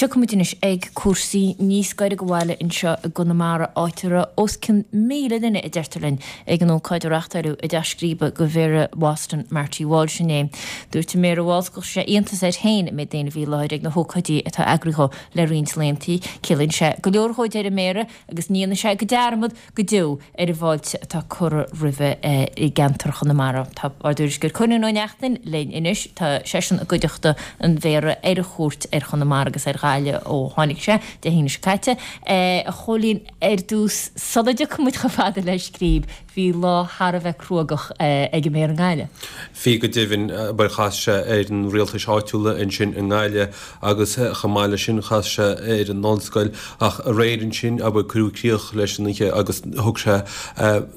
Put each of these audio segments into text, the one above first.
Tiocfaimid anois ag cúrsaí níos gaire do bhaile anseo i gConamara, áit a raibh os cionn 1,000 duine, a deirtear linn, ag an ócáid a reáchtáileadh i dTeach Scríbe do Mhéara Bhoston, Marty Walsh inné. Dúirt an Méara Walsh gur chuir sé iontas air féin an méid daoine a bhí i láthair ag na hócáidí atá eagraithe dhó le roinnt laethanta. Ciallaíonn sé go leor dhó, a deir an Méara, agus ní dhéanfaidh sé go dearmad go deo ar an bhfáilte atá curtha roimhe i gceantar Chonamara. Tá ár dtuairisceoir Cóilín Ó Neachtain linn anois. Tá seisean i gcuideachta an Mhéara ar a chuairt ar Chonamara agus ar Ghaillimh ó tháinig sé Dé hAoine seo caite. A Chóilín, ar dtús, sula dtiocfaidh muid chomh fada le Scríb, bhí lá thar a bheith cruógach ag an Mhéara i nGaillimh. Bhí go deimhin, abair chas sé ar na rialtais áitiúla ansin i nGaillimh agus chomh maith leis sin chas sé ar an ollscoil ach aréir ansin, abair, cuireadh críoch leis an oíche agus thug sé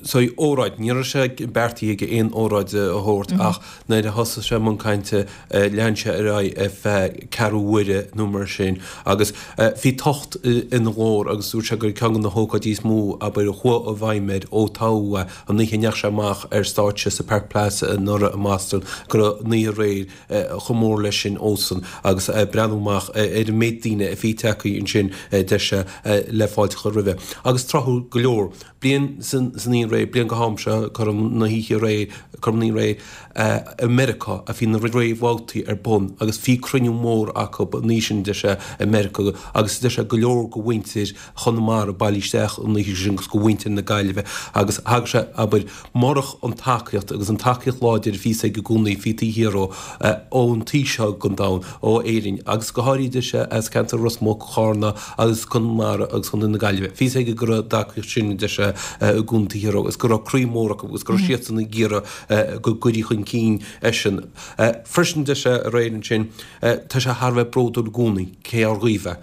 saghas óráid. Ní raibh sé beartaithe aige aon óráid a thabhairt ach nuair a thosaigh sé i mbun cainte lean sé ar aghaidh ar feadh ceathrú uaire nó mar sin agus bhí tocht ina ghlór agus dúirt sé gur ceann de na hócáidí is mó, abair, a chuaigh i bhfeidhm air ó toghadh é, an oíche a ndeachaigh sé amach ar stáitse sa Park Plaza anuraidh i mBoston, go raibh an oíche aréir chomh mór leis sin dhósan agus breathnú amach ar an méid daoine a bhí tagtha ansin, deir sé, le fáilte a chur roimhe. Agus tráthúil go leor. Bliain san oíche aréir, bliain go ham seo, cothrom na hoíche aréir, cothrom na hoíche aréir, i Meiriceá a bhí na réamhbhabhtaí ar bun agus bhí cruinniú mór acu an oíche sin, deir sé, i Meiriceá agus deir sé go leor de mhuintir Chonamara bailithe isteach an oíche sin agus de mhuintir na Gaillimhe agus thagair sé, abair, murach an tacaíocht agus an tacaíocht láidir a bhíos aige i gcónaí, bhí taobh thiar dhó, ón taobh seo den domhan, ó Éirinn agus go háirithe deir sé as ceantar Ros Muc, Charna agus Conamara agus Contae na Gaillimhe. Bhí a fhios aige go raibh an tacaíocht sin, deir sé, i gcónaí taobh thiar dhó agus go raibh croí mór acu agus go raibh siadsan ag iarraidh go gcuirfí chun cinn eisean. Freisin deir sé aréir ansin, tá sé thar a bheith bródúil i gcónaí cé ár dhaoibh é.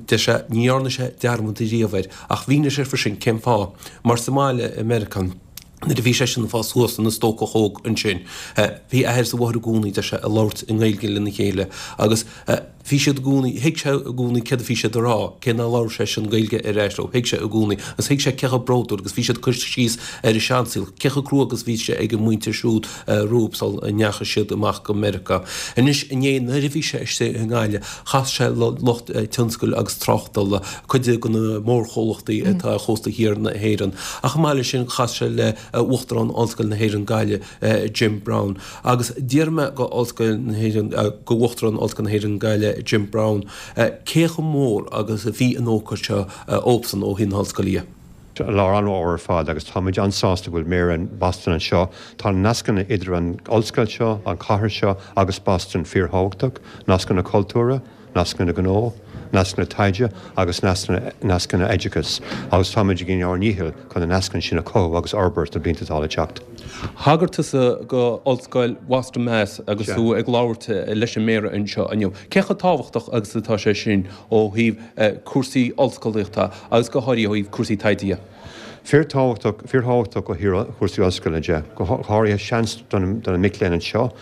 Deir sé, ní dhearna sé dearmad riamh air, ach mhínigh sé freisin cén fáth, mar sa mbaile i Meiriceá, nuair a bhí seisean ag fás suas ina stócach óg ansin, bhí a athair is a mháthair i gcónaí, deir sé, ag labhairt i nGaeilge lena chéile agus bhí siad i gcónaí, thuig sé i gcónaí céard a bhí siad a rá, cé nár labhair seisean Gaeilge ar ais leo, thuig sé i gcónaí agus thuig sé cé chomh bródúil agus bhí siad ag cur síos ar a seansaol, cé chomh crua agus bhí sé ag an muintir siúd rompu sula ndeachaigh siad amach go Meiriceá. Anois inné nuair a bhí sé istigh i nGaillimh, chas sé le lucht tionscail agus tráchtála, cuid de na mórchomhlachtaí atá ar chósta thiar na hÉireann. Ach chomh maith leis sin chas sé le Uachtarán Ollscoil na hÉireann Gaillimh, Jim Browne. Agus d'iarr mé go Ollscoil na hÉireann, go Uachtarán Ollscoil na hÉireann Gaillimh, Jim Browne, cé chomh mór agus a bhí an ócáid seo dhóibhsean ó thaobh na hollscoile dhe. Lá an-mhór ar fad agus táimid an-sásta go bhfuil Méara Boston anseo. Tá na nascanna idir an ollscoil seo, an chathair seo agus Boston fíorthábhachtach, nascanna cultúrtha, nascanna gnó, nascanna taighde agus nascanna oideachais agus táimid ag déanamh ár ndícheall chun na nascanna sin a chothú agus a fhorbairt sna blianta atá le teacht. Thagair tusa go Ollscoil Boston Mass agus tú ag labhairt leis an Méara anseo inniu. Cé chomh tábhachtach agus atá sé sin ó thaobh cúrsaí ollscolaíochta agus go háirithe ó thaobh cúrsaí taighde dhe. Fíorthábhachtach, fíorthábhachtach ó thaobh chúrsaí ollscoile de, go háirithe seans do na mic léinn anseo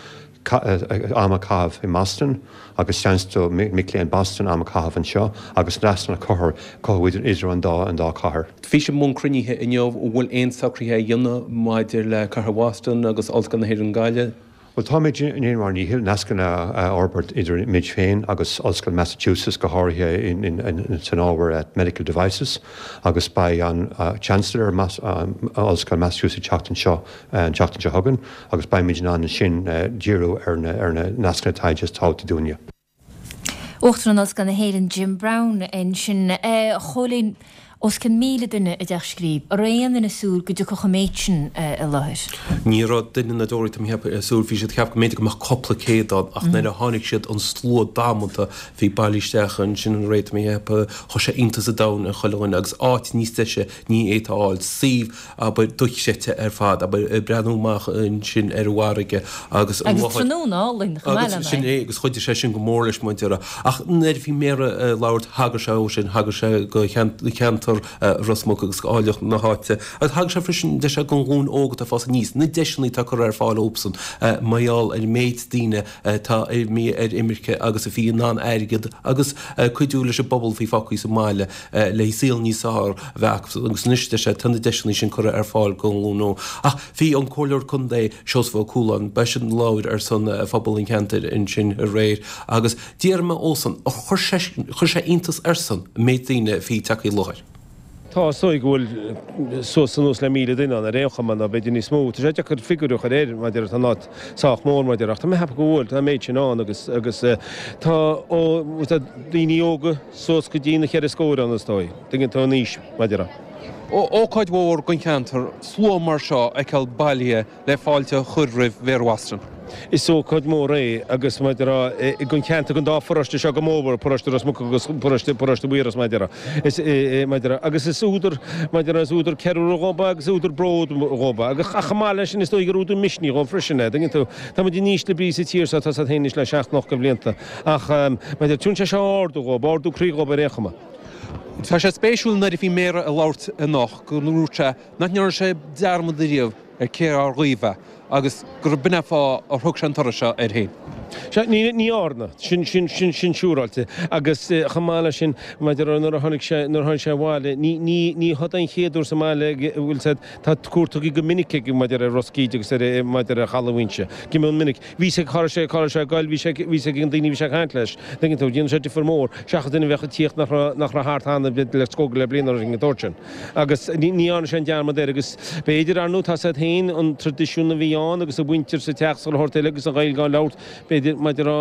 am a chaitheamh i mBoston agus seans do mhic léinn Boston am a chaitheamh anseo agus nascanna a chothú idir an dá an dá chathair. Bhí sibh i mbun cruinnithe inniu, an bhfuil aon socruithe á dhéanamh maidir le Cathair Bhoston agus Ollscoil na hÉireann Gaillimh? Bhuel, táimid ag déanamh ár ndíchill nascanna a fhorbairt idir muid féin agus Ollscoil Massachusetts, go háirithe san ábhar medical devices, agus beidh an Chancellor Ollscoil Massachusetts ag teacht anseo an tseachtain seo chugainn agus beimid in ann ansin díriú ar na nascanna taighde is tábhachtaí dúinne. Uachtarán Ollscoil na hÉireann Jim Browne ansin. A Chóilín, os cionn 1,000 duine i dTeach Scríb. An raibh aon duine ag súil go dtiocfadh an méid sin i láthair? Ní raibh duine ná deoraí, tá mé ag ceapadh, ag súil. Bhí siad ag ceapadh go mb'fhéidir go mbeadh cúpla céad ann ach nuair a tháinig siad, an slua damanta a bhí bailithe isteach ansin aréir, tá mé ag ceapadh, chuir sé iontas an domhain ar chuile dhuine agus áit níos deise ní fhéadfá a fháil. Suíomh abair, dochreidte ar fad, abair, ag breathnú amach ansin ar an bhfarraige agus an Agus tráthnóna álainn chomh maith lena Agus sin é, agus chuidigh sé sin go mór leis, mar a déarfá. Ach nuair a bhí Méara ag labhairt, thagair sé dó sin, thagair sé go ceantar. gceantar Ros Muc agus áilleacht na háite. Agus thagair sé freisin, deir sé, don ghlúin óg atá ag fás aníos, na deiseanna atá curtha ar fáil dóibhsan mar gheall ar an méid daoine atá imithe ar imirce agus a bhí in ann airgead agus cuidiú leis an bpobal a bhí fágtha sa mbaile le saol níos fearr a bheith acu agus anois, deir sé, tá na deiseanna sin curtha ar fáil don ghlúin óg. Ach bhí an Comhairleoir Contae Seosamh Ó Cualáin, b'eisean a labhair ar son phobal an cheantair ansin aréir agus d'iarr mé dhósan ar chuir sé chuir sé iontas airsean an méid daoine a bhí tagtha i láthair. Tá, is dóigh go bhfuil suas anuas le 1,000 duine ann ar aon chuma, nó b'fhéidir níos mó. Tá sé deacair figiúr a chur air, mar a déarfá, tá an áit sách mór, mar a déarfá, ach tá mé ag ceapadh go bhfuil, tá an méid sin ann agus, agus tá, ó, tá daoine óga suas go dtí na cheithre scóir ann, is dóigh, tuigeann tú an aois, mar a déarfá. Ócáid mhór don cheantar, slua mar seo a fheiceáil bailithe le fáilte a chur roimh Mhéara Bhoston. Is ócáid mhór é agus mar a déarfá don cheantar, don dá pharóiste seo go mór, paróiste Ros Muc agus paróiste, paróiste Mhaorais mar a déarfá. Is, mar a déarfá, agus is údar, mar a déarfá, is údar ceiliúradh dhóibh agus údar bród dhóibh agus ach chomh maith leis sin is dóigh gur údar misnigh dhóibh freisin é, dtuigeann tú. Tá muid in ísle brí sa tír seo, tá a fhios agat féin anois le seacht n-ocht de bhlianta ach mar a déarfá, tugann sé seo ardú dhóibh, ardú croí dhóibh ar aon chuma. Tá sé spéisiúil nuair a bhí Méara ag labhairt anocht go ndúirt sé nach ndearna sé dearmad ariamh ar cé dhár dhíobh é agus gurb in é an fáth ar thug sé an turas seo air féin. Sea, ní, ní dhearna. Sin, sin, sin, sin siúráilte. Agus chomh maith leis sin, maidir le nuair a tháinig sé, nuair a tháinig sé abhaile, ní, ní, ní hod é an chéad uair sa mbaile a bhfuil said, tá cuairt tugtha go minic aige maidir ar Ros Cíde agus ar, maidir ar Chaladh Mhaínse. Go mion minic. Bhí sé, cá raibh sé, cá raibh sé ag goil, bhí sé, bhí sé ag an daoine a bhí sé ag caint leis. Tuigeann tú, dhéanadh sé difear mór, seachas duine a bheadh ag tíocht nach raibh, nach raibh thart cheana le scór le bliain nó rud éigin den tsórt sin. Agus ní dhearna sé an dearmad air agus b'fhéidir, ar ndóigh, tá a fhios agat féin, an traidisiún a bhí ann agus a mhuintir sa teach is chuile shórt eile agus an Ghaeilge á labhairt, b'fhéidir, maidir a,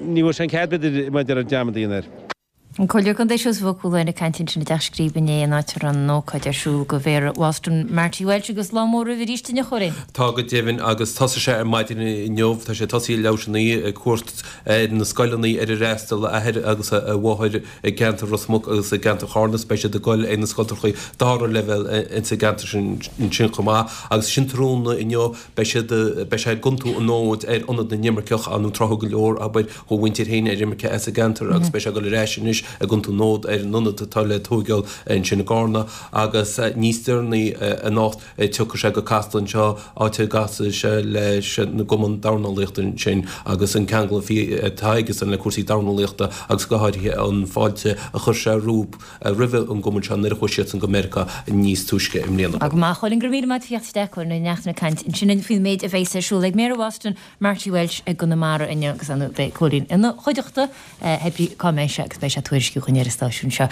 ní bhfuair sé an cead, b'fhéidir, maidir a dearmad a dhéanamh air. An Comhairleoir Contae Seosamh Ó Cualáin ag caint ansin i dTeach Scríbe inné an áit a raibh an ócáid ar siúl do Mhéara Bhoston, Marty Walsh agus lá mór roimhe arís inniu, a Chóilín. Tá go deimhin agus thosaigh sé ar maidin inniu, tá sé tosaithe ag leathuair tar éis a naoi ag cuairt ar na scoileanna ar ar fhreastail a athair agus a mháthair i gceantar Ros Muc agus i gceantar Charna agus beidh siad ag dul ag na scoltrachaí dara leibhéal insa gceantar sin ansin chomh maith agus ansin tráthnóna inniu beidh siad beidh sé ag iontú an fhóid ar Ionad na nImirceach ar ndóigh tráth go leor abair dá mhuintir féin ar imirce as an gceantar agus beidh sé ag dul ar ais anois ag iontú an fhóid ar an ionad atá le tóigeáil ansin i gCarna agus níos deireanaí anocht Tiocfaidh sé go Casla anseo, áit a gcasfaidh sé leis an gCumann Dornálaíochta ansin agus an ceangal a bhí atá aigesan le cúrsaí dornálaíochta agus go háirithe an fáilte a chuir sé roimh an gcumann seo nuair a chuaigh siadsan go Meiriceá níos túisce i mbliana. Go maith, a Chóilín, go raibh míle maith agat as theacht isteach, Cóilín Ó Neachtain ag caint ansin faoin méid a bheas ar siúl ag Méara Bhoston, Marty Walsh i gConamara inniu agus ar ndóigh beidh Cóilín ina chuideachta, hé brí cá mbeidh sé agus beidh sé ag tuairisciú chugainn ar an stáisiún seo.